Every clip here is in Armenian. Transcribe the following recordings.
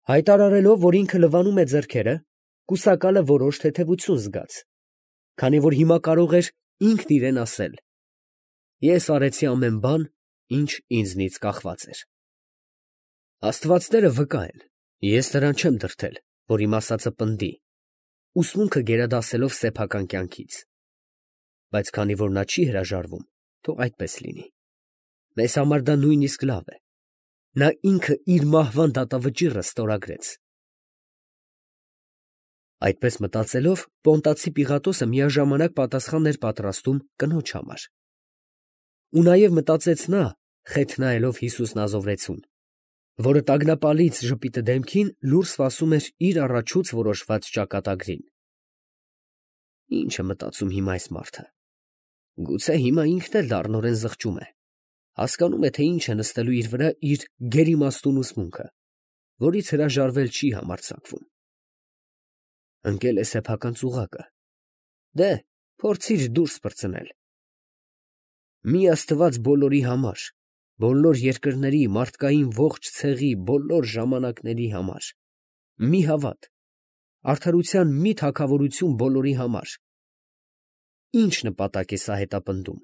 Հայտարարելով, որ ինքը լվանում է ձեռքերը, կուսակալը որոշ թեթևություն զգաց, քանի որ հիմա կարող էր ինքն իրեն ասել. «Ես արեցի ամեն բան, ինչ ինձնից կախված էր»։ Աստվածները վկա են, ես նրան չեմ դրդել, որ իմ ասածը պնդի, ուսմունքը գերադասելով սեփական կյանքից, բայց քանի որ նա չի հրաժարվում, թող այդպես լինի։ Մեզ համար դա նույնիսկ լավ է։ Նա ինքը իր մահվան դատավճիռը ստորագրեց։ Այդպես մտածելով, Պոնտացի Պիղատոսը միաժամանակ պատասխան էր պատրաստում կնոջ համար։ Ու նաև մտածեց նա, խեթ նայելով Հիսուս Նազովրեցուն, որը տագնապալից ժպիտը դեմքին լուռ սպասում էր իր առաջուց որոշված ճակատագրին. «Ի՞նչ է մտածում հիմա այս մարդը. գուցե հիմա ինքն էլ լառնորեն զղջում է, հասկանում է, թե ինչ է նստելու իր վրա իր գերիմաստուն ուսմունքը, որից հրաժարվել չի համարձակվում։ Ընկել է սեփական ծուղակը. դե, փորձիր դուրս պրծնել։ Մի Աստված բոլորի համար, բոլոր երկրների, մարդկային ողջ ցեղի, բոլոր ժամանակների համար, մի հավատ, արդարության մի թագավորություն բոլորի համար։ Ինչ նպատակ է սա հետապնդում։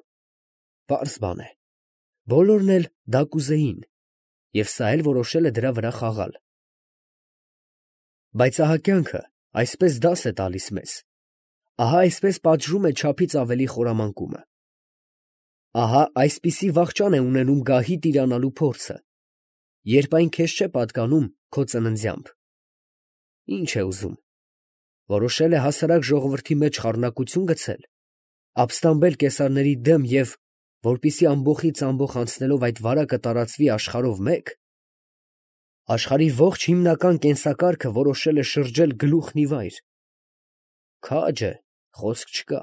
Պարզ բան է, բոլորն էլ դա կուզեին, և սա էլ որոշել է դրա վրա խաղալ։ Բայց ահա կյանքը այսպես դաս է տալիս մեզ, ահա այսպես պատժում է չափից ավելի խորամանկումը։ Ահա այսպիսի վախճան է ունենում գահի տիրանալու փորձը, երբ այն քեզ չէ պատկանում քո ծննդյամբ։ Ինչ է ուզում, որոշել է հասարակ ժողովրդի մեջ խառնակություն գցել, ապստամբել կեսարների դեմ և, որպեսզի ամբոխից ամբոխ անցնելով այդ վարակը տարածվի աշխարհով մեկ, աշխարհի ողջ հիմնական կենսակարգը որոշել է շրջել գլուխն ի վայր։ Քաջ է, խոսք չկա։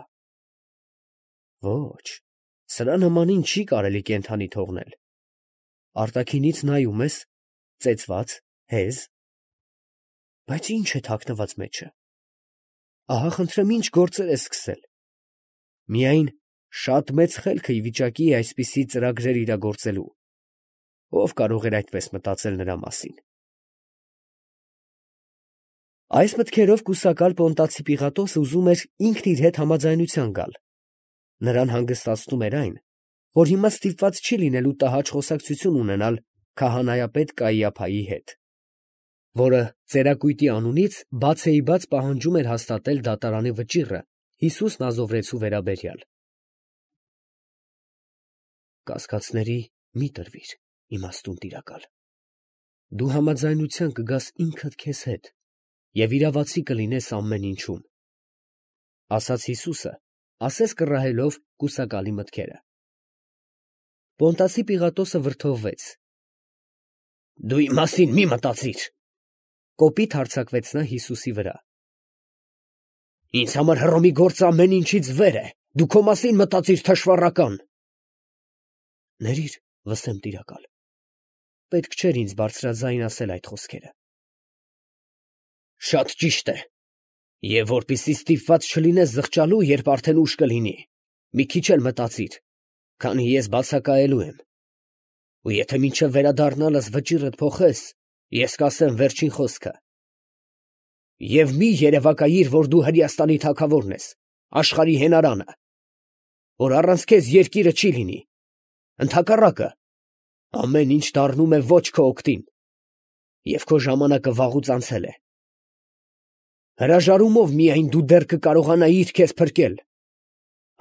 Ոչ, սրա նմանին չի կարելի կենդանի թողնել։ Արտաքինից նայում ես, ծեծված, հեզ, բայց ինչ է թաքնված մեջը։ Ահա խնդրեմ ինչ գործեր է սկսել։ Միայն շատ մեծ խելքը ի վիճակի է այսպիսի ծրագրեր իրագործելու։ Ով կարող էր այդպես մտածել նրա մասին։ Այս մտքերով կուսակալ Պոնտացի Պիղատոսը ուզում էր ինքն իր հետ համաձայնության գալ։ Նրան հանգստացնում էր այն, որ հիմա ստիպված չի լինելու տհաճ խոսակցություն ունենալ քահանայապետ Կայիափայի հետ, որը ծերակույտի անունից բացեիբաց պահանջում էր հաստատել դատարանի վճիռը Հիսուս Նազովրեցու վերաբերյալ։ Կասկածների մի տրվիր, իմաստուն տիրակալ։ Դու համաձայնության կգաս ինքդ քեզ հետ և իրավացի կլինես ամեն ինչում, ասաց Հիսուսը, ասես կռահելով կուսակալի մտքերը։ Պոնտացի Պիղատոսը վրդովվեց։ Դու իմ մասին մի մտածիր, կոպիտ հարձակվեց նա Հիսուսի վրա։ Ինձ համար Հռոմի գործը ամեն ինչից վեր է, դու քո մասին մտածիր, թշվառական։ Ներիր, վսեմ տիրակալ, պետք չէր ինձ բարձրաձայն ասել այդ խոսքերը։ Շատ ճիշտ է, և որպեսզի ստիպված չլինես զղջալու, երբ արդեն ուշ կլինի, մի քիչ էլ մտածիր, քանի ես բացակայելու եմ, ու եթե մինչև վերադառնալս վճիռդ փոխես, ես կասեմ վերջին խոսքը։ Եվ մի երևակայիր, որ դու Հրեաստանի թագավորն ես, աշխարհի հենարանը, որ առանց քեզ երկիրը չի լինի, ընդհակառակը, ամեն ինչ դառնում է ոչ քո օգտին, և քո ժամանակը վաղուց անցել է։ Հրաժարումով միայն դու դեռ կկարողանայիր քեզ փրկել։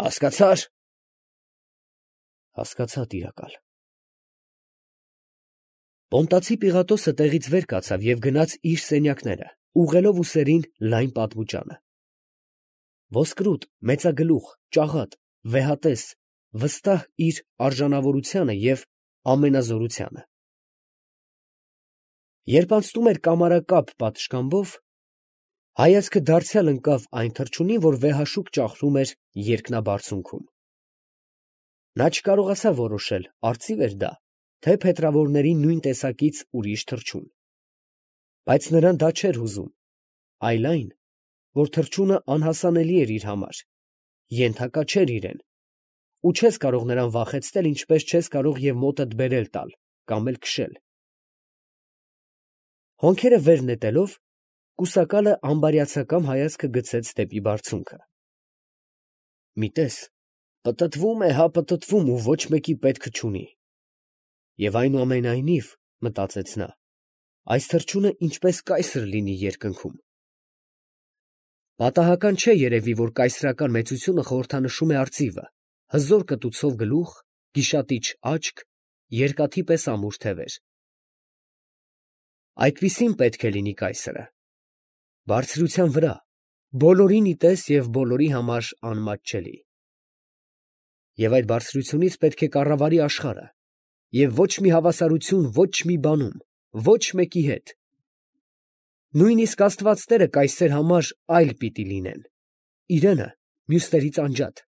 Հասկացա՞ր։ Հասկացա, տիրակալ։ Պոնտացի Պիղատոսը տեղից վեր կացավ և գնաց իր սենյակները, ուղղելով ուսերին լայն պատմուճանը։ Ոսկրուտ, մեծագլուխ, ճաղատ, վեհատես, վստահ իր արժանավորությանը և ամենազորությանը։ Երբ անցնում էր կամարակապ պատշգամբով, հայացքը դարձյալ ընկավ այն թռչունին, որ վեհաշուկ ճախրում էր երկնաբարձունքում։ Նա չկարողացավ որոշել, արծի՞վ էր դա, թե փետրավորների նույն տեսակից ուրիշ թռչուն։ Բայց նրան դա չէր հուզում, այլ այն, որ թռչունը անհասանելի էր իր համար, ենթակա չէր իրեն, ու չես կարող նրան վախեցնել, ինչպես չես կարող և մոտդ բերել տալ կամ էլ քշել։ Հոնքերը վեր նետելով, կուսակալը ամբարյացակամ հայացքը գցեց դեպի բարձունքը։ Մի տես, պտտվում է, հա պտտվում ու ոչ մեկի պետքը չունի։ Եվ այնուամենայնիվ, մտածեց նա, այս թռչունը ինչպես կայսր լինի երկնքում։ Պատահական չէ երևի, որ կայսրական մեծությունը խորհրդանշում է արծիվը, հզոր կտուցով գլուխ, գիշատիչ աչք, երկաթի պես ամուր թևեր։ Այդպիսին պետք է լինի կայսրը։ Բարձրության վրա, բոլորին ի տես և բոլորի համար անմատչելի։ Եվ այդ բարձրությունից պետք է կառավարի աշխարհը, և ոչ մի հավասարություն ոչ մի բանում, ոչ մեկի հետ։ Նույնիսկ աստվածները կայսեր համար այլ պիտի լինեն, իրենը մյուսներից անջատ,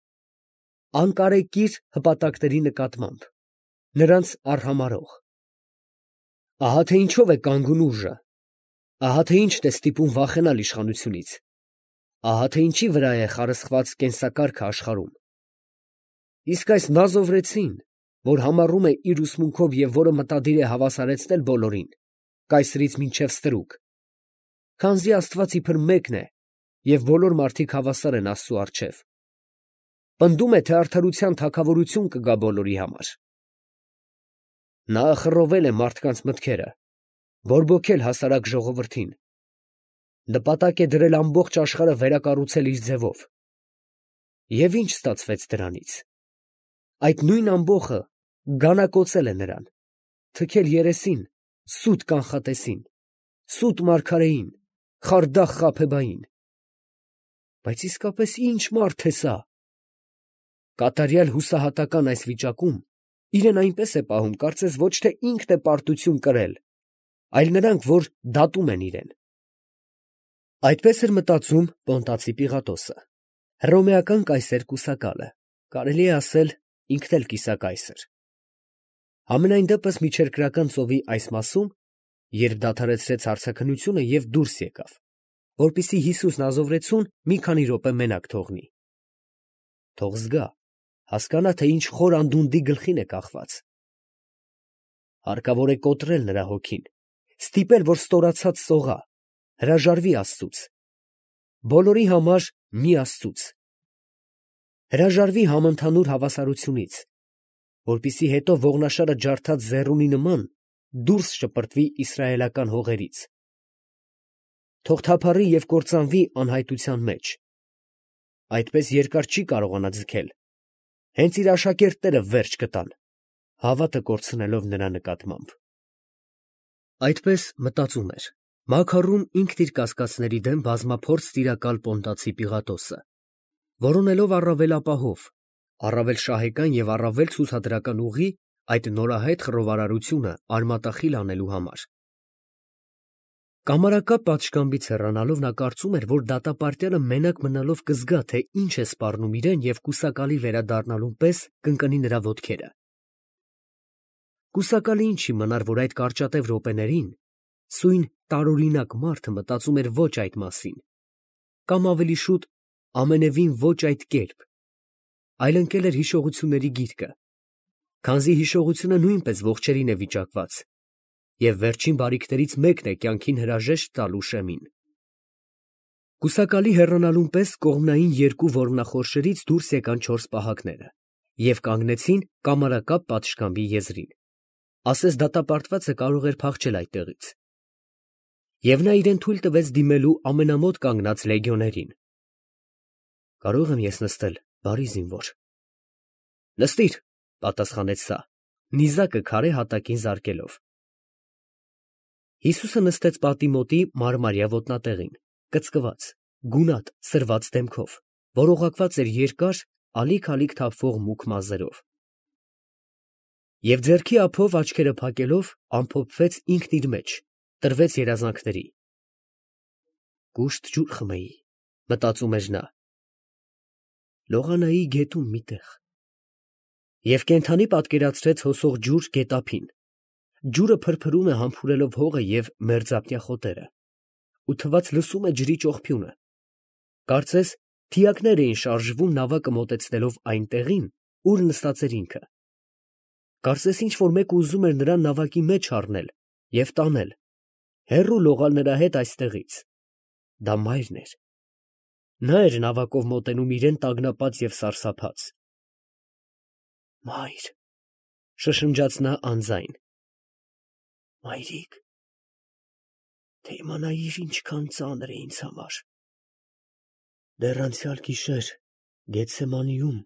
անկարեկիր հպատակների նկատմամբ, նրանց արհամարհող։ Ահա թե ինչով է կանգուն ուժը, ահա թե ինչն է ստիպում վախենալ իշխանությունից, ահա թե ինչի վրա է խարսխված կենսակարգը աշխարհում։ Իսկ այս նազովրեցին, որ համառում է իր ուսմունքով և որը մտադիր է հավասարեցնել բոլորին, կայսրից մինչև ստրուկ, քանզի Աստված իբր մեկն է և բոլոր մարդիկ հավասար են Աստծու առջև, պնդում է, թե արդարության թագավորություն կգա բոլորի համար։ Նա խռովել է մարդկանց մտքերը, բորբոքել հասարակ ժողովրդին, նպատակ է դրել ամբողջ աշխարհը վերակառուցել իր ձևով։ Եվ ինչ ստացվեց դրանից։ Այդ նույն ամբոխը գանակոծել է նրան, թքել երեսին, սուտ կանխատեսին, սուտ մարգարեին, խարդախ Խաբեբային։ Բայց իսկապես ի՞նչ մարդ է սա։ Կատարյալ հուսահատական այս վիճակում իրեն այնպես է պահում, կարծես ոչ թե ինքն է պարտություն կրել, այլ նրանք, որ դատում են իրեն։ Այդպես էր մտածում Պոնտացի Պիղատոսը, հռոմեական կայսեր կուսակալը, կարելի է ասել ինքն էլ կիսակայսր։ Համենայն դեպս միջերկրական ծովի այս մասում, երբ դադարեցրեց հարցաքննությունը և դուրս եկավ, որպեսզի Հիսուսն ազովրեցուն մի քանի րոպե մենակ թողնի։ Թող զգա, հասկանա, թե ինչ խոր անդունդի գլխին է կախված։ Հարկավոր է կոտրել նրա հոգին, ստիպել, որ ստորացած սողա, հրաժարվի Աստծուց, բոլորի համար մի Աստծուց, հրաժարվի համընդհանուր հավասարությունից, որպեսզի հետո ողնաշարը ջարդած ձեռունի նման դուրս շպրտվի իսրայելական հողերից։ Թող թափառի և կործանվի անհայտության մեջ։ Այդպես երկար չի կարողանա ձգել, հենց իր աշակերտները վերջ կտան, հավատը կորցնելով նրա նկատմամբ։ Այդպես մտածում էր մաքարում ինքն իր կասկածների դեմ բազմափորձ տիրակալ Պոնտացի Պիղատոսը, որոնելով առավել ապահով, առավել շահեկան և առավել ցուցադրական ուղի այդ նորահայտ խռովարարությունը արմատախիլ անելու համար։ Կամարակապ պատշգամբից հեռանալով նա կարծում էր, որ դատապարտյալը մենակ մնալով կզգա, թե ինչ է սպառնում իրեն և կուսակալի վերադառնալուն պես կընկնի նրա ոտքերը։ Կուսակալի ինչ իմանար, որ այդ կարճատև րոպեներին սույն տարօրինակ մարդը մտածում էր ոչ այդ մասին, կամ ավելի շուտ ամենևին ոչ այդ կերպ, այլ ընկել էր հիշողությունների գիրկը, քանզի հիշողությունը նույնպես ողջերին է վիճակված, և վերջին բարիքներից մեկն է կյանքին հրաժեշտ տալու շեմին։ Կուսակալի հեռանալուն պես կողմնային երկու ոռնախորշերից դուրս եկան չորս պահակները և կանգնեցին կամարակապ պատշգամբի եզրին, ասես դատապարտվածը կարող էր փախչել այդտեղից։ Եվ նա իրեն թույլ տվեց դիմելու ամենամոտ կանգնած լեգիոներին։ «Կարո՞ղ եմ ես նստել, բարի զինվոր»։ «Նստիր», պատասխանեց սա, նիզակը քարե հատակին զարկելով։ Հիսուսը նստեց պատի մոտի մարմարյա ոտնատեղին, կծկված, գունատ, սրված դեմքով, որ օղակված էր երկար, ալիք֊ալիք թափվող մուգ մազերով։ Եվ ձեռքի ափով աչքերը փակելով ամփոփվեց ինքն իր մեջ, տրվեց երազանքների։ «Կուշտ ջուր խմեի», մտածում էր նա, «լողանայի գետում մի տեղ»։ Եվ կենդանի պատկերացրեց հոսող ջուր գետափին։ Ջուրը փրփրում է համբուրելով հողը և մերձապնյա խոտերը, ու թվաց լսում է ջրի ճողփյունը։ Կարծես թիակներ էին շարժվում նավակը մոտեցնելով այն տեղին, ուր նստած էր ինքը։ Կարծես ինչ֊որ մեկը ուզում էր նրան նավակի մեջ առնել և տանել, Հեռու լողալ նրա հետ այստեղից։ Դա մայրն էր։ Նա էր նավակով մոտենում իրեն տագնապած և սարսափած։ Մայր, շշնջաց նա անձայն։ Մայրիկ, թե իմանայիր ինչքան ծանր է ինձ համար։ Դեռ անցյալ գիշեր Գեթսեմանիում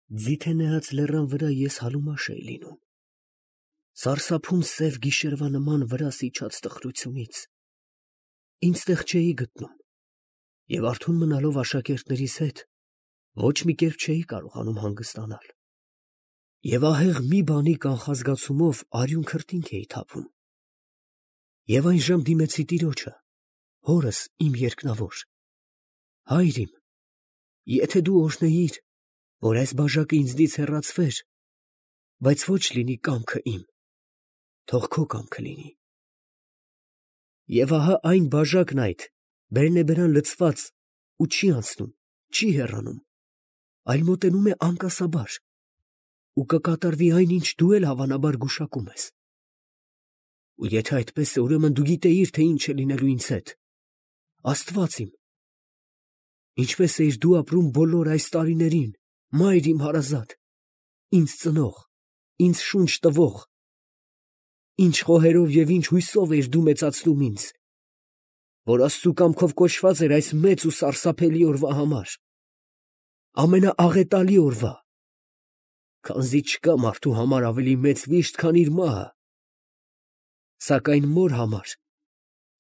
ձիթենեաց լեռան վրա ես հալումաշ էի լինում, սարսափում սև գիշերվա նման վրաս իջած տխրությունից, ինձ տեղ չէի գտնում, և արթուն մնալով աշակերտներիս հետ ոչ մի կերպ չէի կարողանում հանգստանալ, և ահեղ մի բանի կանխազգացումով արյուն քրտինք էի թափում, և այն ժամ դիմեցի տիրոջը, հորս իմ երկնավոր. Հայր իմ, եթե դու օրհնեիր, որ այս բաժակը ինձնից հեռացվեր, բայց ոչ լինի կամքը իմ, թող քո կամքը լինի։ Եվ ահա այն բաժակն այդ բերնեբերան լցված ու չի անցնում, չի հեռանում, այլ մոտենում է անկասաբար, ու կկատարվի այն, ինչ դու էլ հավանաբար գուշակում ես։ Ու եթե այդպես է, ուրեմն դու գիտեիր, թե ինչ է լինելու ինձ հետ, Աստված իմ, ինչպես էիր դու ապրում բոլոր այս տարիներին, մայր իմ հարազատ, ինձ ծնող, ինձ շունչ տվող, ինչ խոհերով և ինչ հույսով էիր դու մեծացնում ինձ, որ Աստծու կամքով կոչված էր այս մեծ ու սարսափելի օրվա համար, ամենաաղետալի օրվա, քանզի չկա մարդու համար ավելի մեծ վիշտ, քան իր մահը, սակայն մոր համար,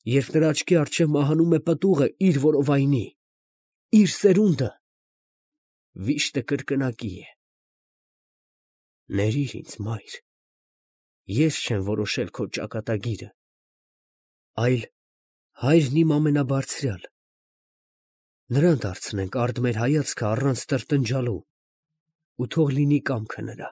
երբ նրա աչքի առջև մահանում է պտուղը իր որովայնի, իր սերունդը, վիշտը կրկնակի է։ Ներիր ինձ, մայր, ես չեմ որոշել քո ճակատագիրը, այլ հայրն իմ ամենաբարձրյալ, նրան դարձնենք արդ մեր հայացքը առանց տրտնջալու, ու թող լինի կամքը նրա։